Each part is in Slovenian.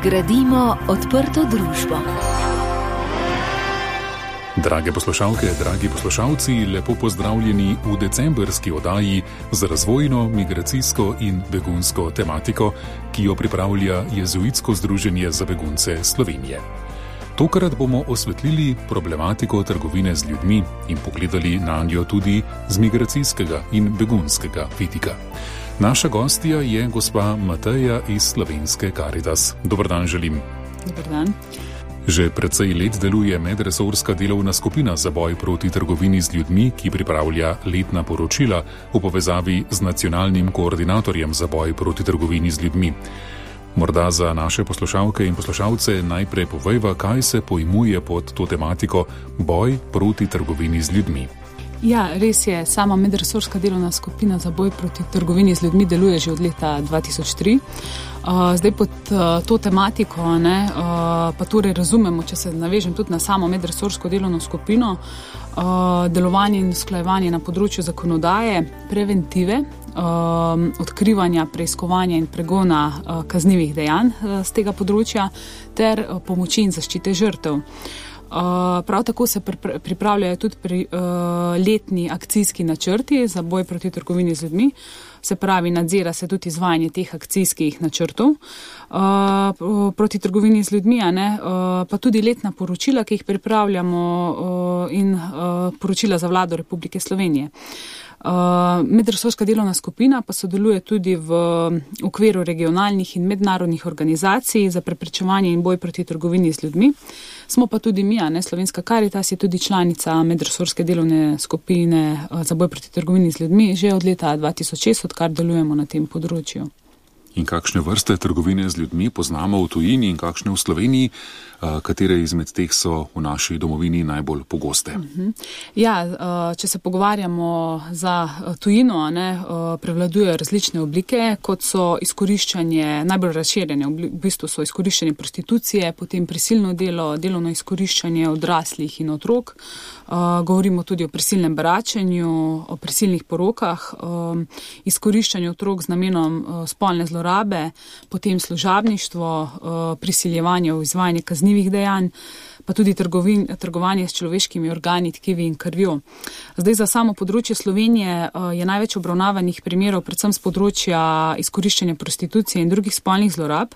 Gradimo odprto družbo. Drage poslušalke, dragi poslušalci, lepo pozdravljeni v decembrski oddaji z razvojno, migracijsko in begunsko tematiko, ki jo pripravlja Jezuitsko združenje za begunce Slovenije. Tokrat bomo osvetlili problematiko trgovine z ljudmi in pogledali na njo tudi z migracijskega in begunskega vidika. Naša gostja je gospa Mateja iz Slovenske Caritas. Dober dan želim. Dober dan. Že precej let deluje medresorska delovna skupina za boj proti trgovini z ljudmi, ki pripravlja letna poročila v povezavi z nacionalnim koordinatorjem za boj proti trgovini z ljudmi. Morda za naše poslušalke in poslušalce najprej povejva, kaj se pojmuje pod to tematiko boj proti trgovini z ljudmi. Ja, res je, sama medresorska delovna skupina za boj proti trgovini z ljudmi deluje že od leta 2003. Zdaj pod to tematiko, pa torej razumemo, če se navežem tudi na samo medresorsko delovno skupino, delovanje in usklajevanje na področju zakonodaje, preventive, odkrivanja, preiskovanja in pregona kaznivih dejanj z tega področja ter pomoči in zaščite žrtev. Prav tako se pripravljajo tudi letni akcijski načrti za boj proti trgovini z ljudmi, se pravi nadzira se tudi izvajanje teh akcijskih načrtov proti trgovini z ljudmi, pa tudi letna poročila, ki jih pripravljamo in poročila za vlado Republike Slovenije. Medresorska delovna skupina pa sodeluje tudi v okviru regionalnih in mednarodnih organizacij za preprečevanje in boj proti trgovini z ljudmi. Smo pa tudi mi, Slovenska Caritas je tudi članica medresorske delovne skupine za boj proti trgovini z ljudmi že od leta 2006, odkar delujemo na tem področju. In kakšne vrste trgovine z ljudmi poznamo v tujini in kakšne v Sloveniji, katere izmed teh so v naši domovini najbolj pogoste? Ja, če se pogovarjamo za tujino, prevladujejo različne oblike, kot so izkoriščanje, najbolj razširjene, v bistvu so izkoriščanje prostitucije, potem prisilno delo, delovno izkoriščanje odraslih in otrok. Govorimo tudi o prisilnem beračenju, o prisilnih porokah, izkoriščanju otrok z namenom spolne zlorabe, potem služabništvo, prisiljevanje v izvajanje kaznivih dejanj, pa tudi trgovanje s človeškimi organi, tkivi in krvjo. Zdaj za samo področje Slovenije je največ obravnavanih primerov predvsem z področja izkoriščanja prostitucije in drugih spolnih zlorab.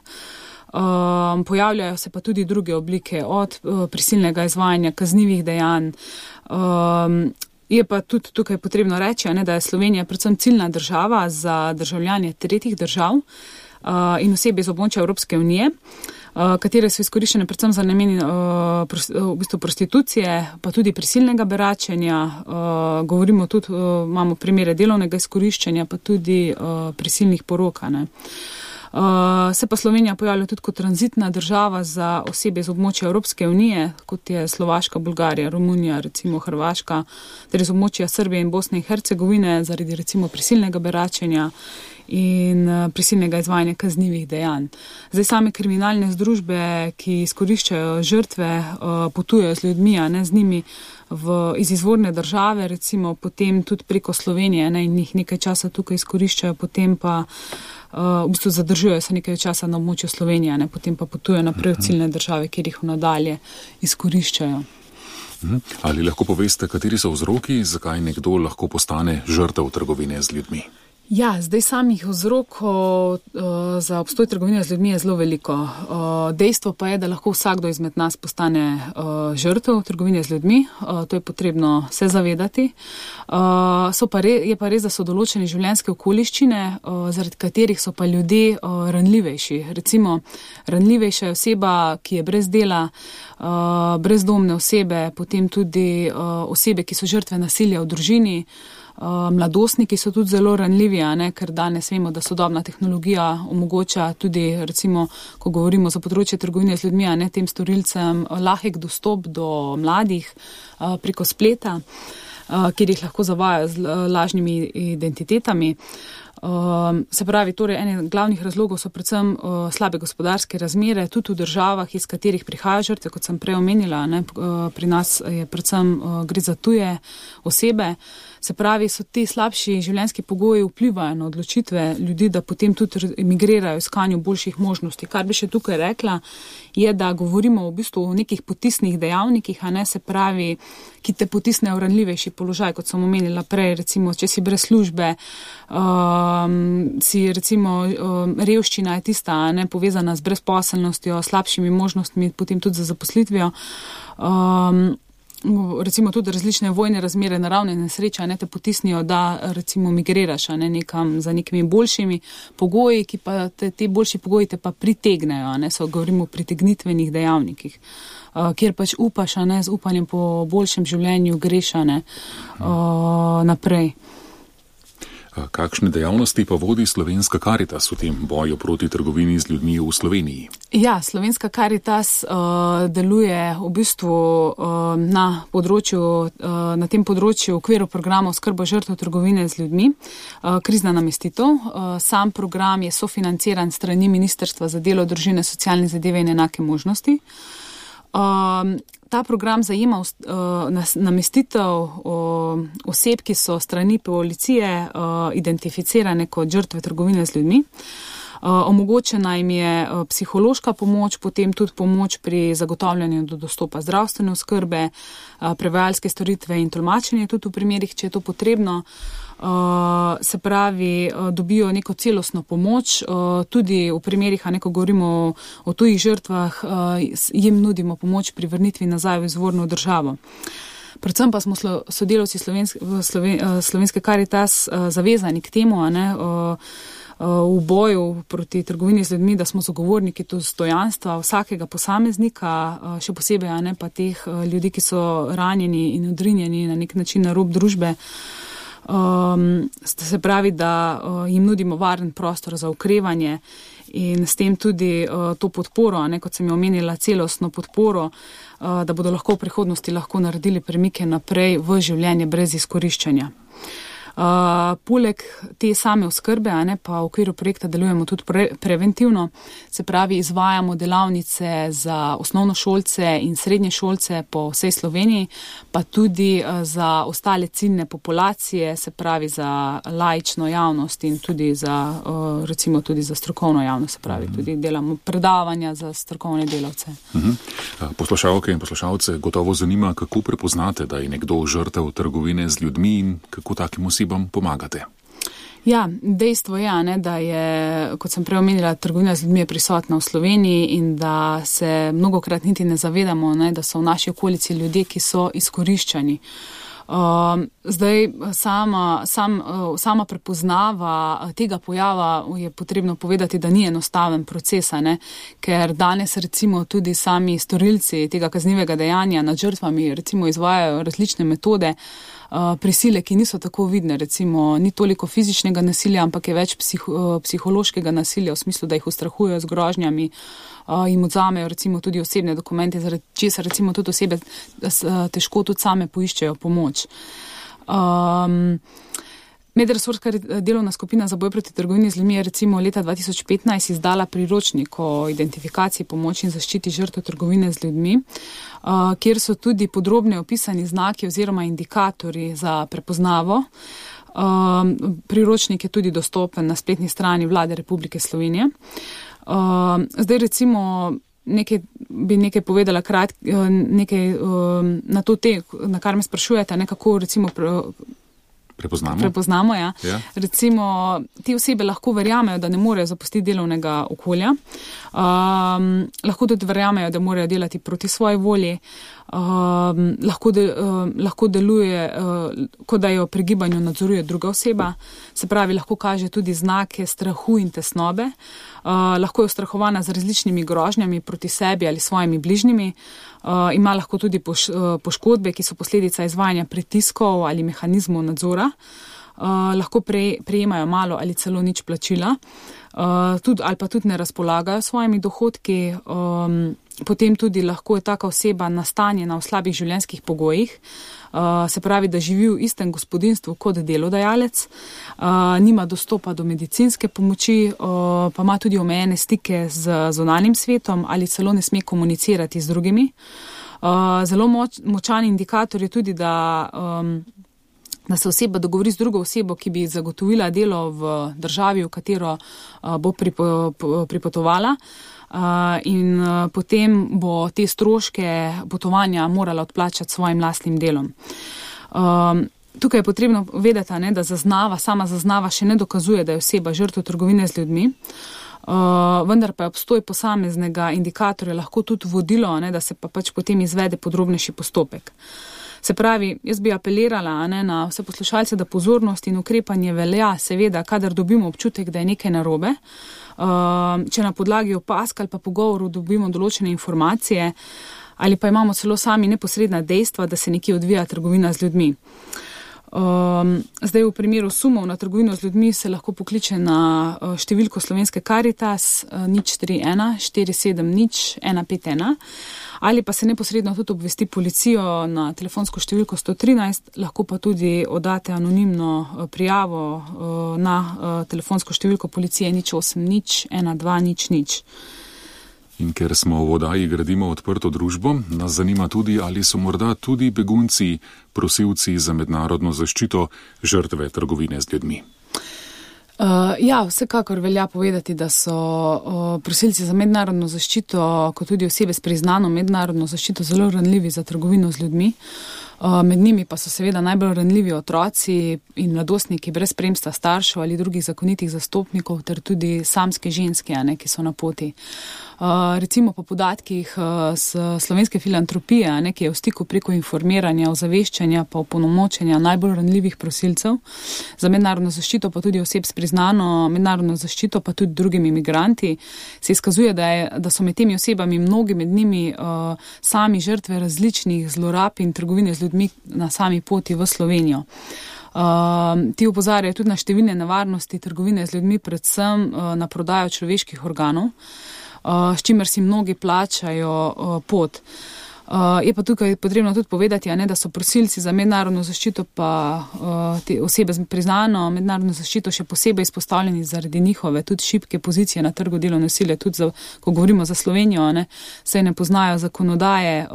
Pojavljajo se pa tudi druge oblike od prisilnega izvajanja kaznivih dejanj. Je pa tudi tukaj potrebno reči, da je Slovenija predvsem ciljna država za državljane tretjih držav in osebe iz območja Evropske unije, katere so izkoriščene predvsem za namen prostitucije, pa tudi prisilnega beračenja. Govorimo tudi, imamo primere delovnega izkoriščanja, pa tudi prisilnih porok. Se pa Slovenija pojavlja tudi kot tranzitna država za osebe iz območja Evropske unije, kot je Slovaška, Bolgarija, Romunija, recimo Hrvaška, ter iz območja Srbije in Bosne in Hercegovine zaradi recimo prisilnega beračenja in prisilnega izvajanja kaznivih dejanj. Zdaj same kriminalne združbe, ki izkoriščajo žrtve, potujejo z ljudmi, z njimi iz izvorne države, recimo potem tudi preko Slovenije in jih nekaj časa tukaj izkoriščajo, potem pa v bistvu zadržujejo se nekaj časa na območju Slovenije, potem pa potujejo naprej v ciljne države, kjer jih nadalje izkoriščajo. Ali lahko poveste, kateri so vzroki, zakaj nekdo lahko postane žrtev trgovine z ljudmi? Ja, zdaj samih vzrokov za obstoj trgovine z ljudmi je zelo veliko. Dejstvo pa je, da lahko vsakdo izmed nas postane žrtev trgovine z ljudmi. To je potrebno se zavedati. Je pa res, da so določene življenjske okoliščine, zaradi katerih so pa ljudje ranljivejši. Recimo, ranljivejša je oseba, ki je brez dela, brezdomne osebe, potem tudi osebe, ki so žrtve nasilja v družini. Mladostniki so tudi zelo ranljivi, ker danes vemo, da sodobna tehnologija omogoča tudi, recimo, ko govorimo za področje trgovine z ljudmi, tem storilcem lahek dostop do mladih preko spleta, kjer jih lahko zavajajo z lažnimi identitetami. Se pravi, torej, ene glavnih razlogov so predvsem slabe gospodarske razmere, tudi v državah, iz katerih prihajajo žrtve, kot sem prej omenila, ne, pri nas je predvsem gre za tuje osebe. Se pravi, so ti slabši življenjski pogoji vplivajo na odločitve ljudi, da potem tudi emigrirajo v iskanju boljših možnosti. Kar bi še tukaj rekla, je, da govorimo v bistvu o nekih potisnih dejavnikih, a ne, se pravi, ki te potisnejo v ranljivejši položaj, kot sem omenila prej, recimo, če si brez službe, si recimo revščina je tista, a ne, povezana z brezposelnostjo, slabšimi možnostmi, potem tudi za zaposlitvijo. Recimo tudi različne vojne razmere, naravne nesreče, ne, te potisnijo, da recimo migriraš, ne, nekam za nekimi boljšimi pogoji, ki pa te boljši pogoji te pa pritegnejo, ne, govorimo o pritegnitvenih dejavnikih, kjer pač upaš, ne, z upanjem po boljšem življenju greš, ne, naprej. Kakšne dejavnosti pa vodi Slovenska Karitas v tem boju proti trgovini z ljudmi v Sloveniji? Ja, Slovenska Karitas deluje v bistvu na tem področju v okviru programa oskrba žrtev trgovine z ljudmi, krizna namestitev. Sam program je sofinanciran strani Ministrstva za delo, družine, socialne zadeve in enake možnosti. Ta program zajema namestitev oseb, ki so strani policije identificirane kot žrtve trgovine z ljudmi. Omogočena jim je psihološka pomoč, potem tudi pomoč pri zagotavljanju do dostopa zdravstvene oskrbe, prevajalske storitve in tolmačenje tudi v primerih, če je to potrebno. Se pravi, dobijo neko celostno pomoč, tudi v primerih, ko govorimo o tujih žrtvah, jim nudimo pomoč pri vrnitvi nazaj v izvorno državo. Predvsem pa smo sodelavci Slovenske Karitas zavezani k temu, v boju proti trgovini z ljudmi, da smo zagovorniki dostojanstva vsakega posameznika, še posebej pa teh ljudi, ki so ranjeni in odrinjeni na nek način na rob družbe. Se pravi, da jim nudimo varen prostor za okrevanje in s tem tudi to podporo, kot sem jo omenila, celostno podporo, da bodo lahko v prihodnosti naredili premike naprej v življenje brez izkoriščanja. Poleg te same oskrbe, pa v okviru projekta delujemo tudi preventivno, se pravi, izvajamo delavnice za osnovnošolce in srednješolce po vsej Sloveniji, pa tudi za ostale ciljne populacije, se pravi za laično javnost in tudi za, recimo tudi za strokovno javnost, se pravi, tudi delamo predavanja za strokovne delavce. Poslušalke in poslušalce gotovo zanima, kako prepoznate, da je nekdo žrtev trgovine z ljudmi in kako takim osebam pomagate. Ja, dejstvo je, da je, kot sem prej omenila, trgovina z ljudmi je prisotna v Sloveniji in da se mnogokrat niti ne zavedamo, da so v naši okolici ljudje, ki so izkoriščani. Zdaj, sama prepoznava tega pojava je potrebno povedati, da ni enostaven proces, ker danes recimo tudi sami storilci tega kaznivega dejanja nad žrtvami recimo izvajajo različne metode, prisile, ki niso tako vidne, recimo ni toliko fizičnega nasilja, ampak je več psihološkega nasilja v smislu, da jih ustrahujejo z grožnjami, jim odzamejo recimo tudi osebne dokumente, zaradi česar recimo tudi osebe težko tudi same poiščejo pomoč. Medresorska delovna skupina za boj proti trgovini z ljudmi je recimo leta 2015 izdala priročnik o identifikaciji, pomoči in zaščiti žrtev trgovine z ljudmi, kjer so tudi podrobne opisani znaki oziroma indikatorji za prepoznavo. Priročnik je tudi dostopen na spletni strani Vlade Republike Slovenije. Zdaj recimo nekaj povedala nekaj na to na kar me sprašujete, kako recimo prepoznamo, ja. Recimo, te osebe lahko verjamejo, da ne morejo zapustiti delovnega okolja, lahko tudi verjamejo, da morajo delati proti svoji volji, lahko deluje, kot da jo pri gibanju nadzoruje druga oseba, se pravi, lahko kaže tudi znake strahu in tesnobe, lahko je ustrahovana z različnimi grožnjami proti sebi ali svojimi bližnjimi, ima lahko tudi poškodbe, ki so posledica izvajanja pritiskov ali mehanizmov nadzora. lahko prejemajo malo ali celo nič plačila, ali pa tudi ne razpolagajo svojimi dohodki. Potem tudi lahko je taka oseba nastanjena v slabih življenjskih pogojih, se pravi, da živi v istem gospodinjstvu kot delodajalec, nima dostopa do medicinske pomoči, pa ima tudi omejene stike z zunanjim svetom ali celo ne sme komunicirati z drugimi. Zelo močan indikator je tudi, da se oseba dogovori z drugo osebo, ki bi zagotovila delo v državi, v katero bo pripotovala. In potem bo te stroške potovanja morala odplačati svojim lastnim delom. Tukaj je potrebno vedeti, da sama zaznava še ne dokazuje, da je oseba žrtev trgovine z ljudmi, vendar pa je obstoj posameznega indikatorja lahko tudi vodilo, da se pa pač potem izvede podrobnejši postopek. Se pravi, jaz bi apelirala na vse poslušalce, da pozornost in ukrepanje velja, seveda, kadar dobimo občutek, da je nekaj narobe, če na podlagi opazk ali pa pogovorov dobimo določene informacije ali pa imamo celo sami neposredna dejstva, da se nekje odvija trgovina z ljudmi. Zdaj v primeru sumov na trgovino z ljudmi se lahko pokliče na številko Slovenske Karitas 031 470 151 ali pa se neposredno tudi obvesti policijo na telefonsko številko 113, lahko pa tudi oddate anonimno prijavo na telefonsko številko policije 080 12 00. In ker smo v oddaji Gradimo odprto družbo, nas zanima tudi, ali so morda tudi begunci, prosilci za mednarodno zaščito, žrtve trgovine z ljudmi. Ja, vsekakor velja povedati, da so prosilci za mednarodno zaščito, kot tudi osebe s priznano mednarodno zaščito, zelo ranljivi za trgovino z ljudmi. Med njimi pa so seveda najbolj ranljivi otroci in mladostniki brez spremstva staršev ali drugih zakonitih zastopnikov ter tudi samske ženske, ki so na poti. Recimo po podatkih Slovenske filantropije, ki je v stiku preko informiranja, ozaveščanja pa opolnomočenja najbolj ranljivih prosilcev za mednarodno zaščito, pa tudi oseb s priznano mednarodno zaščito, pa tudi drugimi migranti, se izkazuje, da so med temi osebami mnogi med njimi sami žrtve različnih zlorab in trgovine z ljudmi na sami poti v Slovenijo. Ti opozarjajo tudi na številne nevarnosti trgovine z ljudmi, predvsem na prodajo človeških organov, s čimer si mnogi plačajo pot. Je pa tukaj potrebno tudi povedati, da so prosilci za mednarodno zaščito pa te osebe z priznano mednarodno zaščito še posebej izpostavljeni zaradi njihove tudi šibke pozicije na trgu delovne sile, tudi ko govorimo za Slovenijo, saj ne poznajo zakonodaje,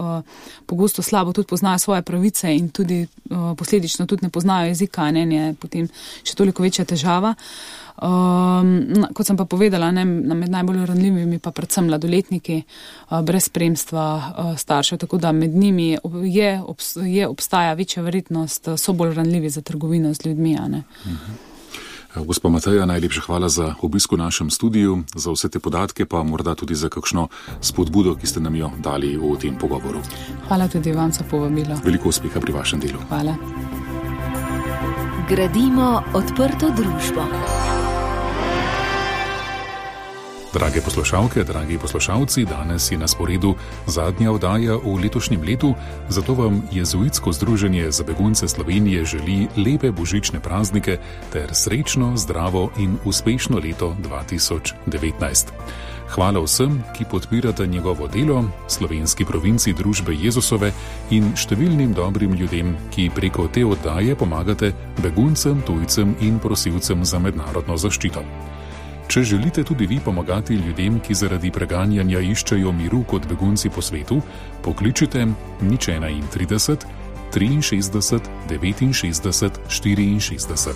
pogosto slabo tudi poznajo svoje pravice in tudi posledično tudi ne poznajo jezika, je potem še toliko večja težava. Kot sem pa povedala, med najbolj ranljivimi pa predvsem mladoletniki brez spremstva staršev, tako da med njimi obstaja večja verjetnost, so bolj ranljivi za trgovino z ljudmi. Gospa Mateja, najlepša hvala za obisk v našem studiu, za vse te podatke, pa morda tudi za kakšno spodbudo, ki ste nam jo dali v tem pogovoru. Hvala tudi vam za povabilo. Veliko uspeha pri vašem delu. Hvala. Gradimo odprto družbo. Drage poslušalke, dragi poslušalci, danes je na sporedu zadnja oddaja v letošnjem letu, zato vam Jezuitsko združenje za begunce Slovenije želi lepe božične praznike ter srečno, zdravo in uspešno leto 2019. Hvala vsem, ki podpirate njegovo delo, slovenski provinci Družbe Jezusove in številnim dobrim ljudem, ki preko te oddaje pomagate beguncem, tujcem in prosilcem za mednarodno zaščito. Če želite tudi vi pomagati ljudem, ki zaradi preganjanja iščejo miru kot begunci po svetu, pokličite 031 63 69 64.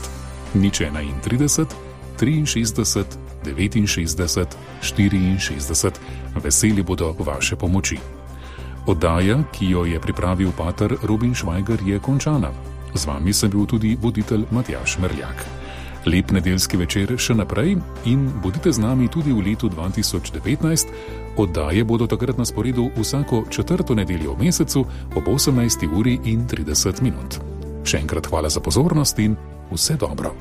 031 63 69 64. Veseli bodo vaše pomoči. Oddaja, ki jo je pripravil pater Robin Švajger, je končana. Z vami sem bil tudi voditelj Matjaž Merljak. Lep nedeljski večer še naprej in bodite z nami tudi v letu 2019. Oddaje bodo takrat na sporedu vsako 4. nedeljo v mesecu ob 18:30. Še enkrat hvala za pozornost in vse dobro.